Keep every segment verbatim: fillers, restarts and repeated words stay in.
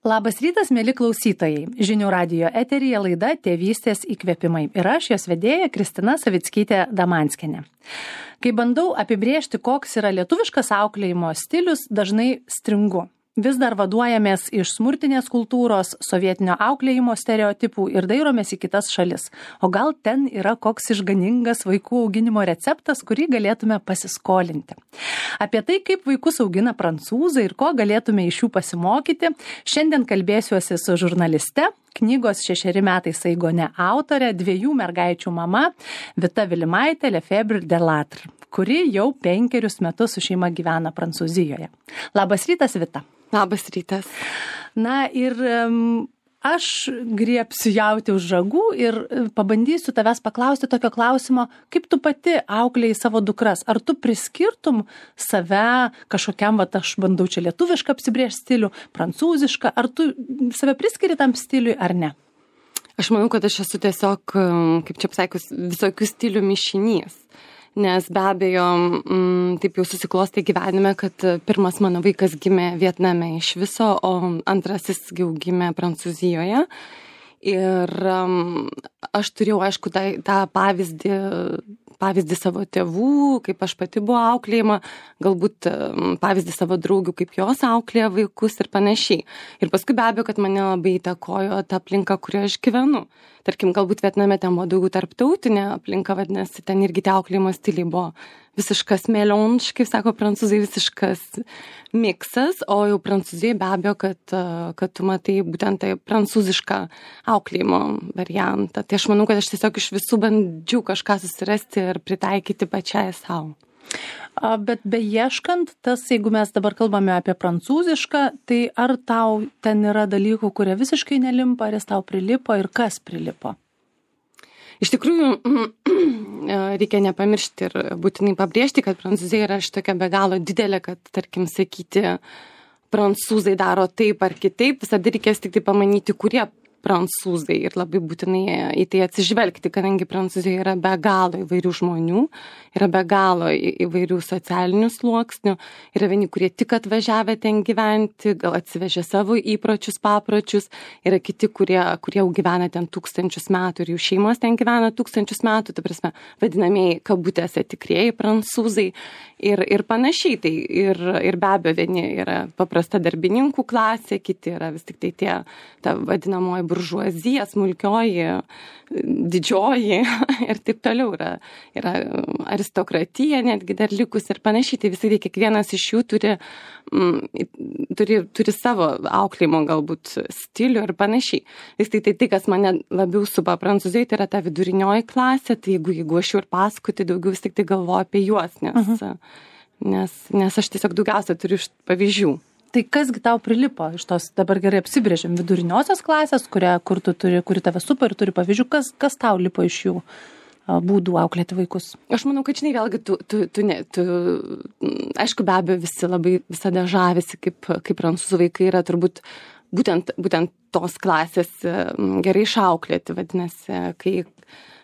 Labas rytas, mėly klausytojai. Žinių radijo eteryje laida Tėvystės įkvėpimai. Ir aš, jos vedėja, Kristina Savickytė Damanskienė. Kai bandau apibrėžti, koks yra lietuviškas auklėjimo stilius, dažnai stringu. Vis dar vaduojamės iš smurtinės kultūros, sovietinio auklėjimo stereotipų ir dairomės į kitas šalis. O gal ten yra koks išganingas vaikų auginimo receptas, kurį galėtume pasiskolinti. Apie tai, kaip vaikus augina prancūzai ir ko galėtume iš jų pasimokyti, šiandien kalbėsiuosi su žurnaliste, knygos šešeri metai Saigone autore, dviejų mergaičių mama Vita Vilimaitė Lefebvre Delattre, kuri jau penkerius metus su šeima gyvena Prancūzijoje. Labas rytas, Vita. Labas rytas. Na ir um, aš griebsiu jauti už žagų ir pabandysiu tavęs paklausti tokio klausimo, kaip tu pati auklėjai savo dukras. Ar tu priskirtum save kažkokiam, va, aš bandau čia lietuvišką apsibrėžti stilių, prancūzišką, ar tu save priskiri tam stiliui ar ne? Aš manau, kad aš esu tiesiog, kaip čia pasakius, visokių stilių mišinys. Nes be abejo, m, taip jau susiklostė gyvenime, kad pirmas mano vaikas gimė Vietname iš viso, o antrasis jau gimė Prancūzijoje. Ir um, aš turėjau, aišku, tą, tą pavyzdį, pavyzdį savo tėvų, kaip aš pati buvo auklėjama, galbūt um, pavyzdį savo draugių, kaip jos auklėja vaikus ir panašiai. Ir paskui be abejo, kad mane labai įtakojo ta aplinka, kurioje aš gyvenu. Tarkim, galbūt Vietname ten buvo daugiau tarptautinė aplinka, vadinasi, ten irgi tie auklėjimo stiliai buvo visiškas mélange, kaip sako prancūzai, visiškas miksas, o jau Prancūzijai be abejo, kad, kad tu matai būtent tai prancūzišką auklėjimo variantą. Tai aš manau, kad aš tiesiog iš visų bandžiau kažką susirasti ir pritaikyti pačiai savo. Bet beieškant, tas, jeigu mes dabar kalbame apie prancūzišką, tai ar tau ten yra dalykų, kurie visiškai nelimpa, ar jis tau prilipo ir kas prilipo? Iš tikrųjų, reikia nepamiršti ir būtinai pabrėžti, kad Prancūzija yra šitokia be galo didelė, kad, tarkim, sakyti, prancūzai daro taip ar kitaip, visada reikės tik tai pamanyti, kurie prancūzai ir labai būtinai į tai atsižvelgti, kadangi Prancūzijoje yra be galo įvairių žmonių, yra be galo įvairių socialinių sluoksnių, yra vieni, kurie tik atvažiavę ten gyventi, gal atsivežė savo įpročius, papročius, yra kiti, kurie, kurie jau gyvena ten tūkstančius metų ir jų šeimos ten gyvena tūkstančius metų, tai prasme, vadinamieji kabutėse tikrieji prancūzai ir, ir panašiai. Tai ir, ir be abejo, vieni yra paprasta darbininkų klasė, kiti yra vis tik tai tie, ta vadinamoji buržuazija, smulkioji, didžioji ir taip toliau yra, yra aristokratija netgi dar likus ir panašiai. Tai visai kiekvienas iš jų turi, mm, turi, turi savo auklėjimo galbūt stilių ir panašiai. Vis tai tai, tai kas mane labiau supa Prancūzijoje, tai yra ta vidurinioji klasė, tai jeigu, jeigu aš jau ir paskui, daugiau vis tik tai galvoju apie juos, nes, uh-huh. nes, nes aš tiesiog daugiausia turiu pavyzdžių. Tai kasgi tau prilipo iš tos, dabar gerai apsibrėžėm, viduriniosios klasės, kuria, kur tu turi, kuri tave supa ir turi pavyzdžių, kas, kas tau lipo iš jų būdų auklėti vaikus? Aš manau, kad žinai, vėlgi, tu, tu, tu, ne, tu, aišku, be abejo, visi labai visada žavisi, kaip, kaip prancūzų vaikai yra turbūt būtent, būtent tos klasės gerai išauklėti, vadinasi, kai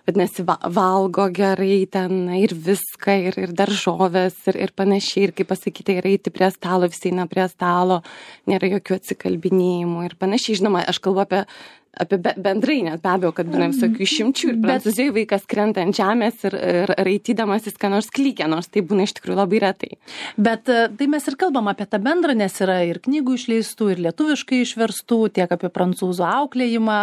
vadinasi, valgo gerai ten ir viską, ir, ir daržovės, ir, ir panašiai, ir kaip pasakyti, ir eiti prie stalo, visi eina prie stalo, nėra jokių atsikalbinėjimų ir panašiai. Žinoma, aš kalbu apie apie bendrai, net be abejo, kad būna visokių išimčių ir Prancūzijoje vaikas krenta ant žemės ir, ir raitydamasis ką nors klykia, nors tai būna iš tikrųjų labai retai. Bet tai mes ir kalbam apie tą bendrą, nes yra ir knygų išleistų, ir lietuviškai išverstų, tiek apie prancūzų auklėjimą,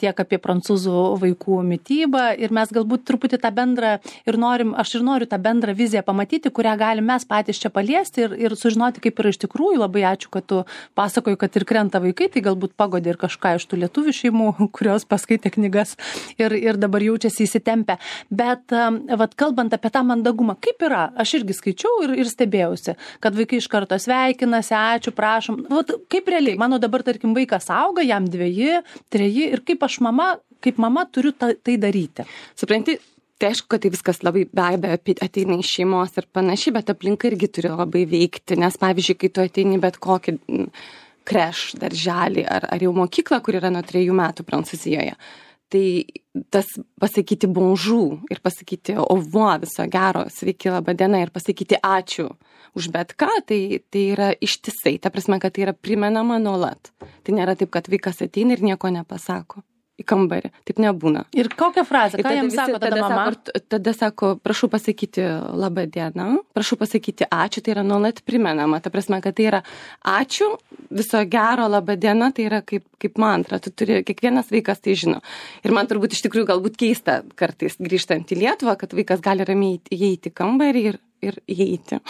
tiek apie prancūzų vaikų mitybą ir mes galbūt truputį tą bendrą ir norim, aš ir noriu tą bendrą viziją pamatyti, kurią galim mes patys čia paliesti ir, ir sužinoti, kaip yra iš tikrųjų. Labai ačiū, kad tu pasakoji, kad ir krenta vaikai, tai galbūt pagodė ir kažką iš tų lietuvių šeimų, kurios paskaitė knygas ir, ir dabar jaučiasi įsitempę. Bet vat, kalbant apie tą mandagumą, kaip yra? Aš irgi skaičiau ir, ir stebėjausi, kad vaikai iš karto sveikinasi, ačiū, prašom. Vat, kaip realiai? Mano dabar, tarkim, vaikas auga, jam dveji, treji ir kaip aš mama, kaip mama turiu ta, tai daryti. Supranti? Tai aišku, kad tai viskas labai be abejo ateina iš šeimos ir panašiai, bet aplinka irgi turi labai veikti, nes pavyzdžiui, kai tu ateini bet kokį kreš darželį ar, ar jau mokyklą, kur yra nuo trejų metų Prancūzijoje, tai tas pasakyti bonjour ir pasakyti au revoir, viso gero, sveiki, laba diena ir pasakyti ačiū už bet ką, tai, tai yra ištisai. Ta prasme, kad tai yra primenama nuolat. Tai nėra taip, kad vaikas ateina ir nieko nepasako į kambarį. Taip nebūna. Ir kokią frazę? Ką jam sako tada, tada mama? Sako, tada sako, prašau pasakyti labą dieną, prašau pasakyti ačiū, tai yra nuolat primenama. Ta prasme, kad tai yra ačiū, viso gero, labą dieną, tai yra kaip, kaip mantra. Tu turi, kiekvienas vaikas tai žino. Ir man turbūt iš tikrųjų galbūt keista kartais grįžtant į Lietuvą, kad vaikas gali ramiai įeiti į kambarį ir, ir įeiti.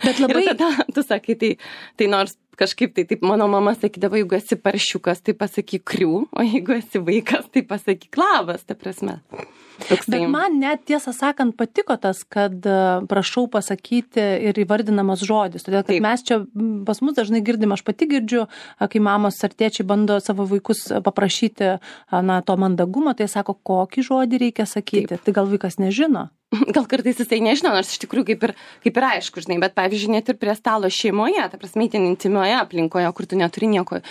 Bet labai... ir tada tu sakai, tai, tai nors kažkaip tai, taip mano mama sakydavo, jeigu esi paršiukas, tai pasakyk krių, o jeigu esi vaikas, tai pasakyk labas, ta prasme. Toks Bet man net tiesą sakant patiko tas, kad prašau pasakyti ir įvardinamas žodis. Todėl, kad Taip. mes čia pas mus dažnai girdim, aš pati girdžiu, kai mamos ar tėčiai bando savo vaikus paprašyti na, to mandagumo, tai sako, kokį žodį reikia sakyti. Taip. Tai gal vaikas nežino? Gal kartais jisai nežino, nors iš tikrųjų kaip ir, kaip ir aišku, žinai, bet pavyzdžiui, net ir prie stalo šeimoje, ta prasme, itin intimioje aplinkoje, kur tu neturi nieko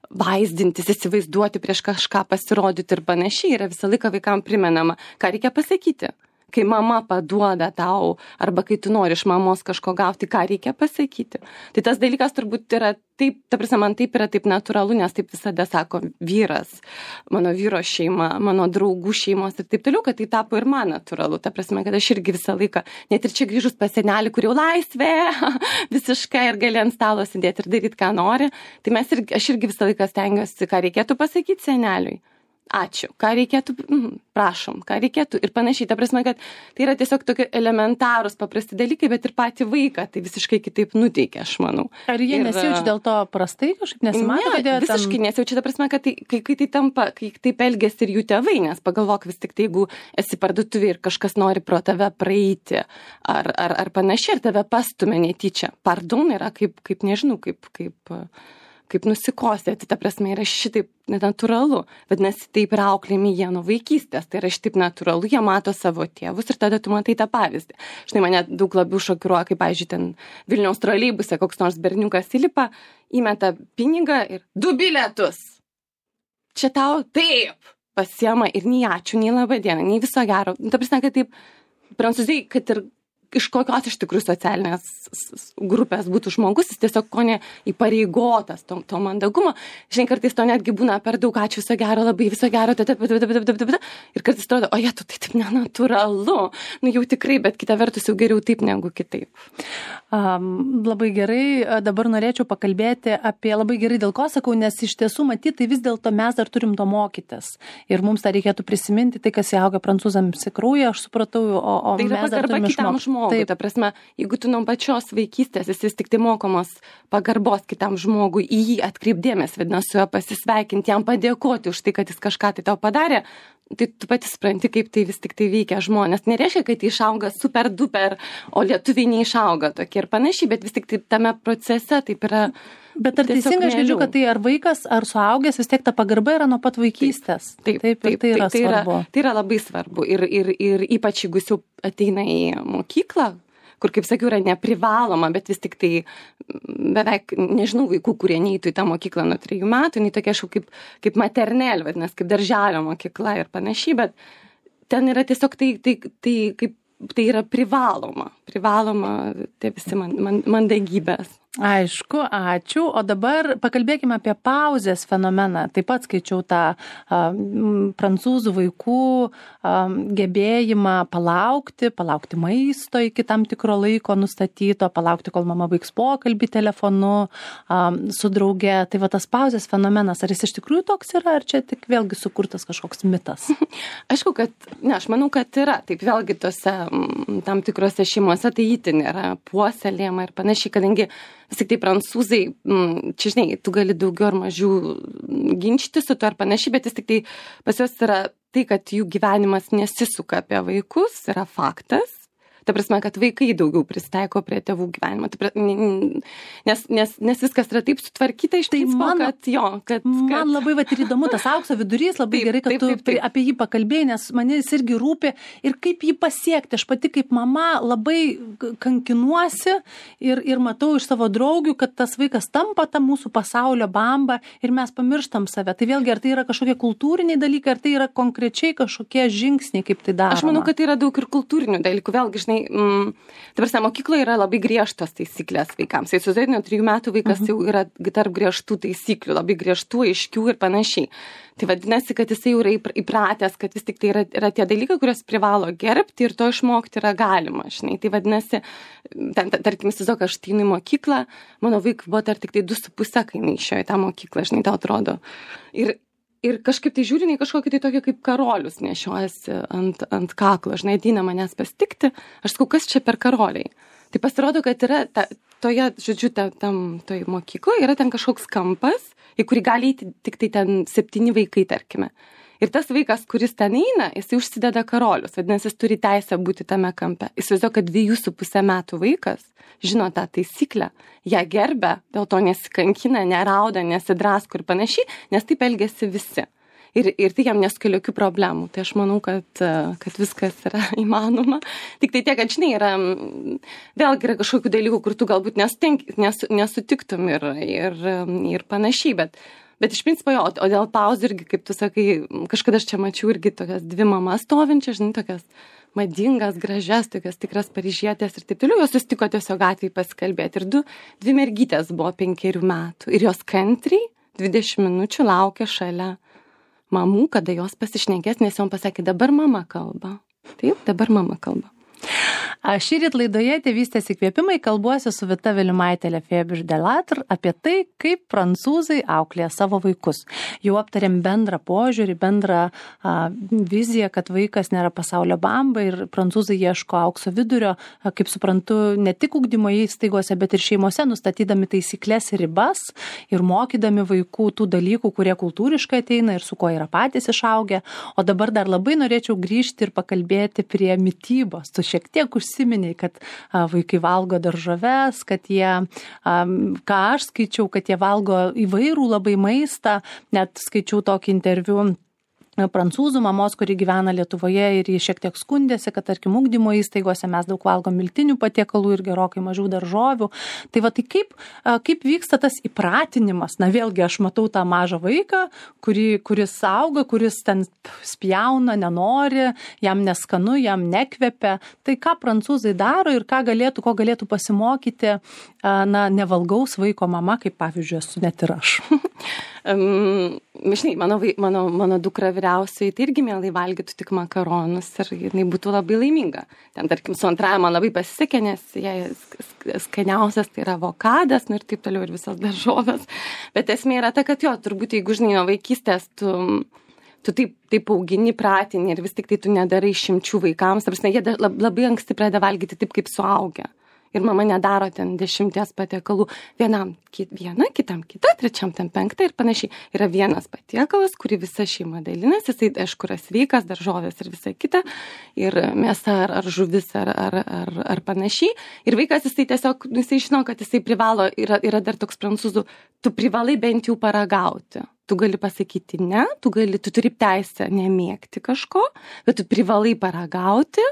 vaizdintis, įsivaizduoti, prieš kažką pasirodyti ir panašiai, yra visą laiką vaikam primenama, ką reikia pasakyti. Kai mama paduoda tau, arba kai tu nori iš mamos kažko gauti, ką reikia pasakyti. Tai tas dalykas turbūt yra taip, ta prasme, man taip yra taip natūralu, nes taip visada sako vyras, mano vyro šeima, mano draugų šeimos ir taip toliau, kad tai tapo ir man natūralu. Ta prasme, kad aš irgi visą laiką, net ir čia grįžus pas senelį, kur jau laisvė, visiškai ir gali ant stalo sėdėti ir daryti, ką nori, tai mes irgi, aš irgi visą laiką stengiuosi, ką reikėtų pasakyti seneliui. Ačiū, ką reikėtų, mm, prašom, ką reikėtų ir panašiai. Ta prasme, kad tai yra tiesiog tokie elementarūs, paprasti dalykai, bet ir patį vaiką tai visiškai kitaip nuteikia, aš manau. Ar jie ir, nesijaučia dėl to prastai kažkaip nesimato? Ne, visiškai ten... nesijaučia, ta prasme, kad tai, kai, kai tai tampa, kai taip elgiasi ir jų tėvai, nes pagalvok vis tik tai, jeigu esi parduotuvė ir kažkas nori pro tave praeiti ar, ar, ar panašiai, ir tave pastumia netyčia. Pardon yra kaip, kaip nežinau, kaip... kaip kaip nusikosėti, ta prasme, yra šitaip nenatūralu. Vadinasi, taip ir auklėjami jie nuo vaikystės, tai yra šitaip natūralu, jie mato savo tėvus ir tada tu matai tą pavyzdį. Štai mane daug labiau šokiruoja, kaip, pavyzdžiui, ten Vilniaus troleibuse koks nors berniukas įlipa, įmeta pinigą ir du bilietus. Čia tau taip pasiema ir nei ačiū, nei labą dieną, nei viso gero. Ta prasme, kad taip, prancūzijai, kad ir iš kokios iš tikrųjų socialinės grupės būtų žmogus, jis tiesiog ko ne įpareigotas to, to mandagumo. Žinai, kartais to netgi būna per daug ačiū, viso gero, labai viso gero, ir kartais atrodo, o jie, tu tai taip nenatūralu. Nu jau tikrai, bet kita vertus jau geriau taip negu kitaip. Um, labai gerai, dabar norėčiau pakalbėti apie, labai gerai dėl ko sakau, nes iš tiesų matyti, tai vis dėlto mes dar turim to mokytis. Ir mums tą reikėtų prisiminti, tai kas įauga prancūzams į kraują, aš supratau, o, o tai mes dar turime išmokti. Taip, ta prasme, jeigu tu nuo pačios vaikystės esi tik tai mokomos pagarbos kitam žmogui, į jį atkreipdėmės, vadinasi, su juo pasisveikinti, jam padėkoti už tai, kad jis kažką tai tau padarė, tai tu pati supranti, kaip tai vis tik tai veikia žmonės. Nereiškia, kad tai išauga super duper, o lietuviai neišauga tokie ir panašiai, bet vis tik tai tame procese taip yra. Bet ar teisingai aš girdžiu, kad tai ar vaikas, ar suaugęs, vis tiek ta pagarba yra nuo pat vaikystės? Taip, taip, taip, tai yra tai, tai, svarbu. Yra, tai yra labai svarbu. Ir, ir, ir ypač jeigu jis jau ateina į mokyklą, kur, kaip sakiau, yra neprivaloma, bet vis tik tai beveik, nežinau, vaikų, kurie neįtų į tą mokyklą nuo trijų metų, nei tokia kažkaip kaip, kaip maternel, vadinasi, kaip darželio mokykla ir panašiai, bet ten yra tiesiog tai, tai, tai, kaip, tai yra privaloma, privaloma tie visi man, man, mandagybės. Aišku, ačiū. O dabar pakalbėkime apie pauzės fenomeną. Taip pat skaičiau tą a, m, prancūzų vaikų a, gebėjimą palaukti, palaukti maisto iki tam tikro laiko nustatyto, palaukti, kol mama baigs pokalbį telefonu a, su drauge. Tai va tas pauzės fenomenas, ar jis iš tikrųjų toks yra, ar čia tik vėlgi sukurtas kažkoks mitas? Aišku, kad, ne, aš manau, kad yra. Taip vėlgi tose m, tam tikrose šeimose tai itin yra puoselėjama ir panašiai, kadangi vis tik tai prancūzai, čia žinai, tu gali daugiau ar mažiau ginčyti su to ar panašiai, bet vis tik tai pas juos yra tai, kad jų gyvenimas nesisuka apie vaikus, yra faktas. Ta prasme, kad vaikai daugiau prisitaiko prie tėvų gyvenimo. Tai, nes, nes, nes viskas yra taip sutvarkyta iš tai principo, man, kad jo. Kad, man kad... labai vat, ir įdomu tas aukso vidurys, labai taip, gerai, kad taip, tu taip, taip. apie jį pakalbėjai, nes mane jis irgi rūpi ir kaip jį pasiekti. Aš pati kaip mama labai kankinuosi ir, ir matau iš savo draugių, kad tas vaikas tampa ta mūsų pasaulio bamba ir mes pamirštam save. Tai vėlgi, ar tai yra kažkokie kultūriniai dalykai, ar tai yra konkrečiai kažkokie žingsniai, kaip tai daroma? Aš manau, kad tai yra daug ir kultūrinių dalykų. Vėlgi, žinai, mm, tarsi mokykloje yra labai griežtos taisyklės vaikams. Tai įsivaizduoju, nuo trijų metų vaikas uh-huh. jau yra tarp griežtų taisyklių, labai griežtų, aiškių ir panašiai. Tai vadinasi, kad jisai jau yra įpratęs, kad vis tik tai yra, yra tie dalykai, kuriuos privalo gerbti ir to išmokti yra galima, žinai. Tai vadinasi, ten, tarkim, įsivaizduoju, aš ateinu į mokyklą, mano vaikui buvo dar tik tai du su puse, kai jinai išėjo į tą mokyklą, žinai, tau atrodo. Ir Ir kažkaip tai žiūriniai kažkokį tai tokį kaip karolius nešiojasi ant, ant kaklo. Žinai, ateina manęs pasitikti, aš sakau, kas čia per karoliai? Tai pasirodo, kad yra ta, toje, žodžiu, ta, tam, toje mokykloje yra ten kažkoks kampas, į kurį gali eiti tik tai ten septyni vaikai, tarkime. Ir tas vaikas, kuris ten eina, jisai užsideda karolius, vadinasi, jis turi teisę būti tame kampe. Jis įsivaizduoja, kad dviejų su pusę metų vaikas žino tą taisyklę, ją gerbia, dėl to nesikankina, nerauda, nesidrasko ir panašiai, nes taip elgiasi visi. Ir, ir tai jam nesukelia jokių problemų. Tai aš manau, kad, kad viskas yra įmanoma. Tik tai tiek, kad žinai, yra, vėlgi yra kažkokių dalykų, kur tu galbūt nesutink, nes, nesutiktum ir, ir, ir panašiai, bet Bet iš principo jo, o dėl pauzų irgi, kaip tu sakai, kažkada aš čia mačiau irgi tokias dvi mamas stovinčias, žinai, tokias madingas, gražias, tokias tikras paryžietės ir taip toliau. Jos susitiko tiesiog gatvėje pasikalbėti. Ir du, dvi mergytės buvo penkerių metų. Ir jos kantriai dvidešimt minučių laukė šalia mamų, kada jos pasišnekės, nes jom pasakė, dabar mama kalba. Taip, dabar mama kalba. Šįryt laidoje Tėvystės įkvėpimai kalbuosi su Vita Vilimaitė Lefebvre Delattre apie tai, kaip prancūzai auklėja savo vaikus. Jau aptarėm bendrą požiūrį, bendrą a, viziją, kad vaikas nėra pasaulio bamba ir prancūzai ieško aukso vidurio, a, kaip suprantu, ne tik ugdymo įstaigose, bet ir šeimose, nustatydami taisyklės ir ribas ir mokydami vaikų tų dalykų, kurie kultūriškai ateina ir su kuo yra patys išaugę. O dabar dar labai norėčiau grįžti ir pakalbėti prie mitybos. Tu šiek tiek užsiminiai, kad a, vaikai valgo daržoves, kad jie, a, ką aš skaičiau, kad jie valgo įvairų labai maistą, net skaičiau tokį interviu prancūzų mamos, kuri gyvena Lietuvoje ir jie šiek tiek skundėsi, kad tarkim ugdymo įstaigose mes daug valgom miltinių patiekalų ir gerokai mažiau daržovių. Tai va, tai kaip, kaip vyksta tas įpratinimas? Na vėlgi, aš matau tą mažą vaiką, kuri, kuris auga, kuris ten spjauna, nenori, jam neskanu, jam nekvepia. Tai ką prancūzai daro ir ką galėtų, ko galėtų pasimokyti, na, nevalgaus vaiko mama, kaip pavyzdžiui, esu net ir aš. Um, žinai, mano, mano, mano dukra vyriausiai tai irgi mielai valgytų tik makaronus ir jinai būtų labai laiminga. Ten, tarkim, su antrąja man labai pasisekė, nes jai skaniausias tai yra avokadas, nu ir taip toliau ir visas daržovės. Bet esmė yra ta, kad jo, turbūt jeigu, žinai, nuo vaikystės tu, tu taip, taip augini, pratini ir vis tik tai tu nedarai išimčių vaikams, tarsi jie labai anksti pradeda valgyti taip, kaip suaugę. Ir mama nedaro ten dešimties patiekalų. Vienam viena, kitam kita, trečiam ten penkta ir panašiai. Yra vienas patiekalas, kurį visa šeima dalinasi. Jisai, aišku, yra sveikas, daržovės ir visa kita. Ir mėsa ar, ar žuvis ar, ar, ar, ar panašiai. Ir vaikas, jisai tiesiog, jisai žino, kad jisai privalo, yra, yra dar toks prancūzų, tu privalai bent jau paragauti. Tu gali pasakyti ne, tu, gali, tu turi teisę nemėgti kažko, bet tu privalai paragauti.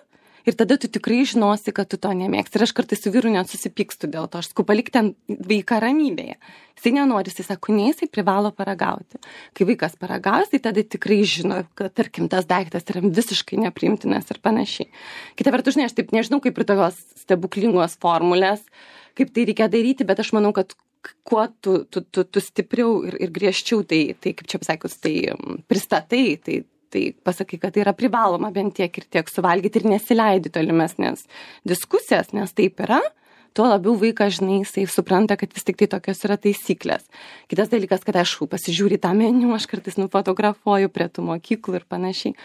Ir tada tu tikrai žinosi, kad tu to nemėgsti. Ir aš kartais su vyru net susipykstu dėl to. Aš sakau, palik ten vaiką ramybėje. Jisai nenori, jisai sako, ne, jisai privalo paragauti. Kai vaikas paragaus, tai tada tikrai žino, kad, tarkim, tas daiktas yra visiškai nepriimtinas ir panašiai. Kita vertus, žinai, aš taip nežinau, kaip ir tokios stebuklingos formulės, kaip tai reikia daryti, bet aš manau, kad kuo tu, tu, tu, tu stipriau ir, ir griežčiau tai, tai, kaip čia pasakius, tai pristatai, tai tai pasakai, kad tai yra privaloma bent tiek ir tiek suvalgyti ir nesileidi tolimesnės diskusijas, nes taip yra, tuo labiau vaikas, žinai, jisai supranta, kad vis tik tai tokios yra taisyklės. Kitas dalykas, kad aš pasižiūri tą meniu, aš kartais nufotografuoju prie tų mokyklų ir panašiai.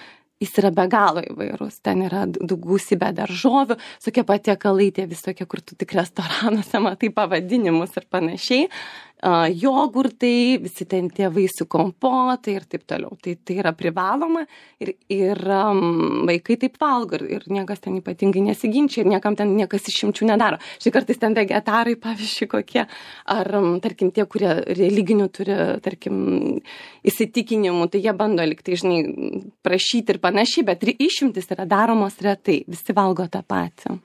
Jis yra be galo įvairus. Ten yra gausybė daržovių, tokie patiekalai, tie visokie, kur tu tik restoranuose matai pavadinimus ir panašiai. uh, jogurtai, visi ten tie vaisių kompotai ir taip toliau. Tai, tai yra privaloma ir, ir um, vaikai taip valgo ir, ir niekas ten ypatingai nesiginčia ir niekam ten niekas išimčių nedaro. Štai kartais ten vegetarai, pavyzdžiui, kokie, ar um, tarkim tie, kurie religinių turi, tarkim, įsitikinimų, tai jie bando liktai, žinai, prašyti ir panašiai, bet išimtis yra daromos retai, visi valgo tą patį.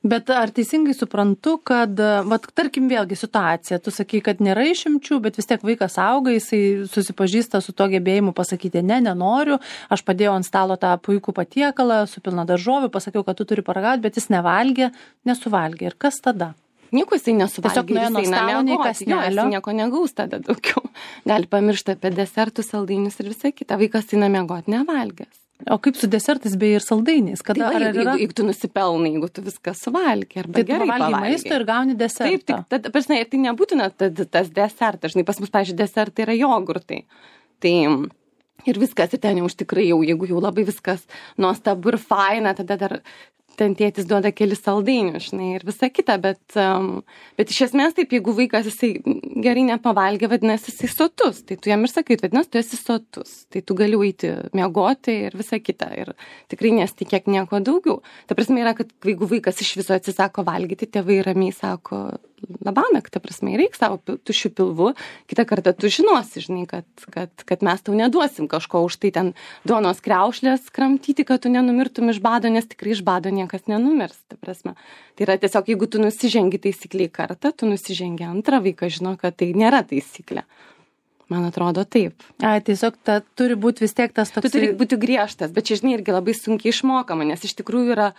Bet ar teisingai suprantu, kad, vat, tarkim, vėlgi situacija, tu sakai, kad nėra išimčių, bet vis tiek vaikas auga, jisai susipažįsta su to gebėjimu pasakyti, ne, nenoriu, aš padėjau ant stalo tą puikų patiekalą, su pilna daržovių, pasakiau, kad tu turi paragauti, bet jis nevalgė, nesuvalgė. Ir kas tada? Nieko jisai nesuvalgė. Tiesiog nuėjo nuo stalo, nei kąsnelio. Jis nieko negaus tada daugiau. Gali pamiršti apie desertus, saldainius ir visą kitą. Vaikas eina miegoti nevalgęs. O kaip su desertais bei ir saldainiais? Kada, tai, va, jeigu, yra... jeigu tu nusipelnai, jeigu tu viską suvalgi, arba tai gerai pavalgai maisto ir gauni desertą. Taip, taip, tad, prasme, ir tai nebūtina tad, tas desertas. Žinai, pas mus, pavyzdžiui, desertai yra jogurtai. Tai ir viskas, ir ten jau už tikrai jau, jeigu jau labai viskas nuostabu ir faina, tada dar ten tėtis duoda kelis saldainius, žinai, ir visa kita, bet, um, bet iš esmės taip, jeigu vaikas jisai gerai nepavalgė, vadinasi, jisai sotus, tai tu jam ir sakai, vadinasi, tu esi sotus, tai tu gali eiti miegoti ir visa kita, ir tikrai nesitikėk nieko daugiau. Ta prasme yra, kad jeigu vaikas iš viso atsisako valgyti, tėvai ramiai sako, labanakt, ta prasme, reik savo tušių pilvų, kitą kartą tu žinosi, žinai, kad, kad, kad mes tau neduosim kažko už tai ten duonos kriaušlės kramtyti, kad tu nenumirtum iš bado, nes tikrai iš bado niekas nenumirs, ta prasme. Tai yra tiesiog, jeigu tu nusižengi taisykliai kartą, tu nusižengi antrą, vaikas žino, kad tai nėra taisyklė. Man atrodo taip. A, tiesiog ta, turi būti vis tiek tas toks... Tu turi būti griežtas, bet čia, žinai, irgi labai sunkiai išmokama, nes iš tikrųjų yra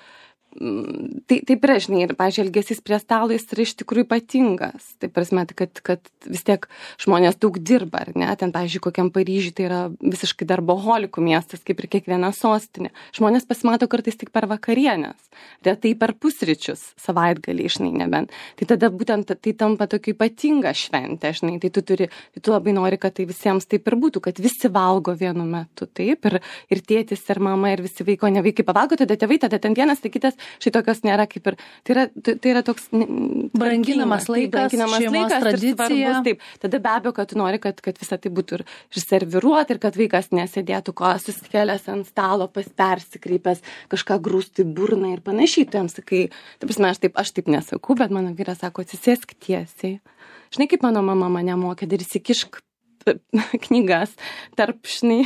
Tai, taip yra, žinai, ir, pavyzdžiui, elgesys prie stalo jis yra iš tikrųjų ypatingas. Taip prasme, kad, kad vis tiek žmonės daug dirba, ar ne? Ten, pavyzdžiui, kokiam Paryžiui tai yra visiškai darboholikų miestas, kaip ir kiekviena sostinė. Žmonės pasimato kartais tik per vakarienės, retai per pusryčius, savaitgalį, žinai, nebent. Tai tada būtent tai tampa tokia ypatinga šventė, žinai, tai tu turi, tai tu labai nori, kad tai visiems taip ir būtų, kad visi valgo vienu metu, taip, ir, ir tėtis, ir mama, ir visi vaiko, ne vaikai pavalgo, tada tėvai, tada ten vienas, tai kitas. Štai tokios nėra kaip ir, tai yra, tai yra toks branginamas laikas, branginamas šeimos laikas tradicija. Svarbus, taip. Tada be abejo, kad tu nori, kad, kad visą tai būtų ir, ir serviruoti, ir kad vaikas nesėdėtų kojas susikėlęs ant stalo, pas persikreipęs, kažką grūstų į burną ir panašiai. Tu jam sakai, taip prasme, aš taip, aš taip nesakau, bet mano vyras sako, atsisėsk tiesiai. Žinai, kaip mano mama mane mokė, dar įsikišk knygas tarp, žinai,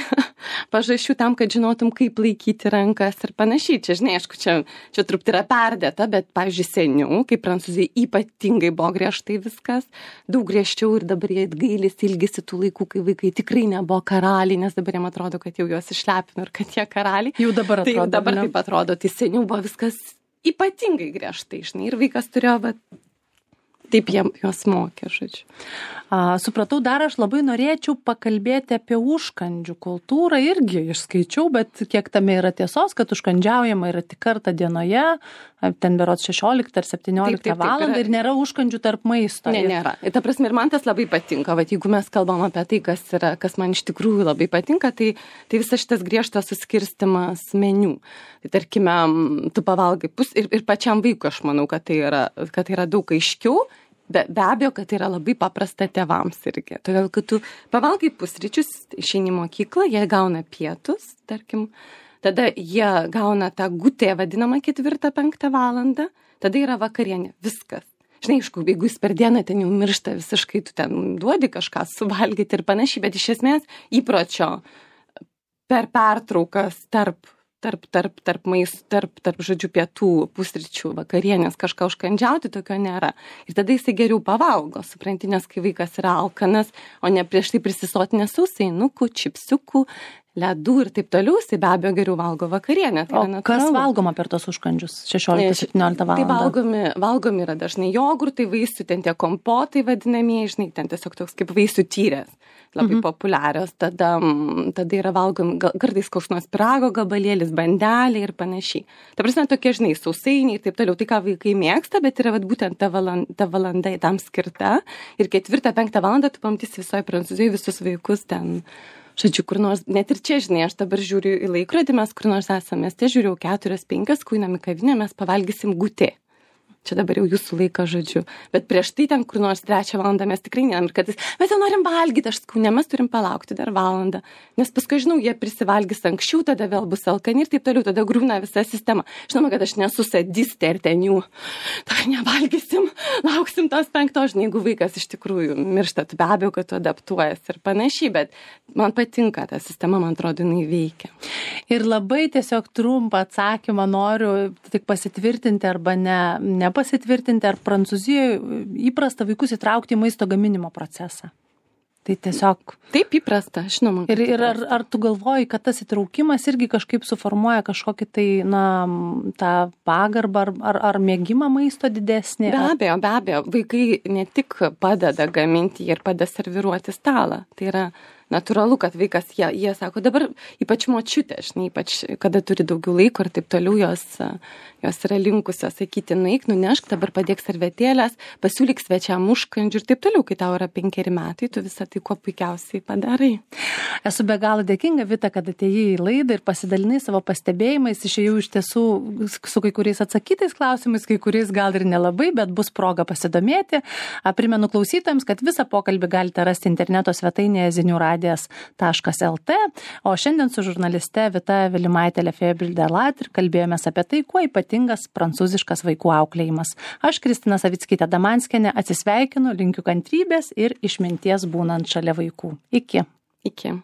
pažašių tam, kad žinotum, kaip laikyti rankas ir panašiai. Čia, žinai, aišku, čia, čia truputį yra perdėta, bet, pavyzdžiui, seniau, kai Prancūzijai ypatingai buvo griežtai viskas, daug griežčiau ir dabar jie gailisi, ilgisi tų laikų, kai vaikai tikrai nebuvo karaliai, nes dabar jiem atrodo, kad jau juos išlepino ir kad jie karaliai. Jau dabar atrodo. Tai jau dabar ne? Taip atrodo, tai seniau buvo viskas ypatingai griežtai, žinai, ir vaikas turėjo, bet taip jiem juos mokė, žodžiu. A, supratau, dar aš labai norėčiau pakalbėti apie užkandžių kultūrą, irgi išskaičiau, bet kiek tame yra tiesos, kad užkandžiaujama yra tik kartą dienoje, ten berods šešioliktą ar septynioliktą valandą ir nėra užkandžių tarp maisto. Ne, nėra. Ir ta prasme, ir man tas labai patinka, vat, jeigu mes kalbam apie tai, kas, yra, kas man iš tikrųjų labai patinka, tai, tai visas šitas griežtas suskirstimas meniu. Tai tarkime, tu pavalgai pus ir, ir pačiam vaikui aš manau, kad tai yra, kad tai yra daug aiškiau. Be, be abejo, kad tai yra labai paprasta tėvams irgi. Todėl, kad tu pavalgai pusryčius, išeini į mokyklą, jie gauna pietus, tarkim, tada jie gauna tą gutę vadinamą ketvirtą, penktą valandą, tada yra vakarienė, viskas. Žinai, aišku, jeigu jis per dieną ten jau miršta visiškai, tu ten duodi kažką suvalgyti ir panašiai, bet iš esmės įpročio per pertraukas tarp tarp, tarp, tarp maistų, tarp, tarp, žodžiu, pietų, pusryčių, vakarienės kažką užkandžiauti, tokio nėra. Ir tada jisai geriau pavalgo, supranti, nes kai vaikas yra alkanas, o ne prieš tai prisisotinės sausainukų, čipsiukų, ledų ir taip toliau, jisai be abejo geriau valgo vakarienę. Tai o kas valgoma per tos užkandžius šešioliktą septynioliktą valandą? Tai valgomi, valgomi yra dažnai jogurtai, vaisių, ten tie kompotai vadinamieji, žinai, ten tiesiog toks kaip vaisių tyrės. Labai mhm. populiarios, tada, tada yra valgomi gal, kartais koks nors pyrago gabalėlis, bandelė ir panašiai. Ta prasme, tokie, žinai, sausainiai ir taip toliau, tai ką vaikai mėgsta, bet yra vat, būtent ta valanda, ta valanda tam skirta. Ir ketvirtą, penktą valandą tu pamatysi visoje Prancūzijoje visus vaikus ten, žodžiu, kur nors, net ir čia, žinai, aš dabar žiūriu į laikrodį, mes kur nors esame, mieste žiūriu keturios, penkios, kuinam į kavinę, mes pavalgysim gutė. čia dabar jau jūsų laikas, žodžiu. Bet prieš tai ten kur nors trečią valandą mes tikrai neėm ir kad mes jau norim valgyti, aš sakau, ne, mes turim palaukti dar valandą. Nes paskui, žinau, jie prisivalgys anksčiau, tada vėl bus alkani ir taip toliau, tada griūna visa sistema. Žinoma, kad aš nesu sadistė ir ten jų, tai nevalgysim, lauksim tos penktos, žinai, jeigu vaikas iš tikrųjų miršta, tu be abejo, kad tu adaptuojas ir panašiai, bet man patinka ta sistema, man atrodo, jinai veikia. Ir labai tiesiog trumpą atsakymą noriu tik pasitvirtinti arba ne, nepasitvirtinti, ar Prancūzijoje įprasta vaikus įtraukti į maisto gaminimo procesą. Tai tiesiog... Taip įprasta, žinoma. Ir, ir ar, ar tu galvoji, kad tas įtraukimas irgi kažkaip suformuoja kažkokį tai, na, tą pagarbą ar, ar, ar mėgimą maisto didesnį? Be abejo, be abejo. Vaikai ne tik padeda gaminti ir padeda serviruoti stalą. Tai yra natūralu, kad vaikas, jie, jie sako, dabar ypač močiutė, žinai, ypač kada turi daugiau laiko ir taip toliau, jos, jos yra linkusios sakyti, nueik, nunešk, dabar padėk servetėlės, pasiūlyk svečiam užkandžių ir taip toliau, kai tau yra penkeri metai, tu visą tai kuo puikiausiai padarai. Esu be galo dėkinga, Vita, kad atėjai į laidą ir pasidalinai savo pastebėjimais, išėjau iš tiesų su kai kuriais atsakytais klausimais, kai kuriais gal ir nelabai, bet bus proga pasidomėti. Primenu klausytojams, kad visą pokalbį galite rasti interneto svetainėje zinių radijas taškas lt, o šiandien su žurnaliste Vita Vilimaitė Lefebvre-Delattre kalbėjomės apie tai, kuo ypatingas prancūziškas vaikų auklėjimas. Aš, Kristina Savickytė Damanskienė, atsisveikinu, linkiu kantrybės ir išminties būnant šalia vaikų. Iki. Iki.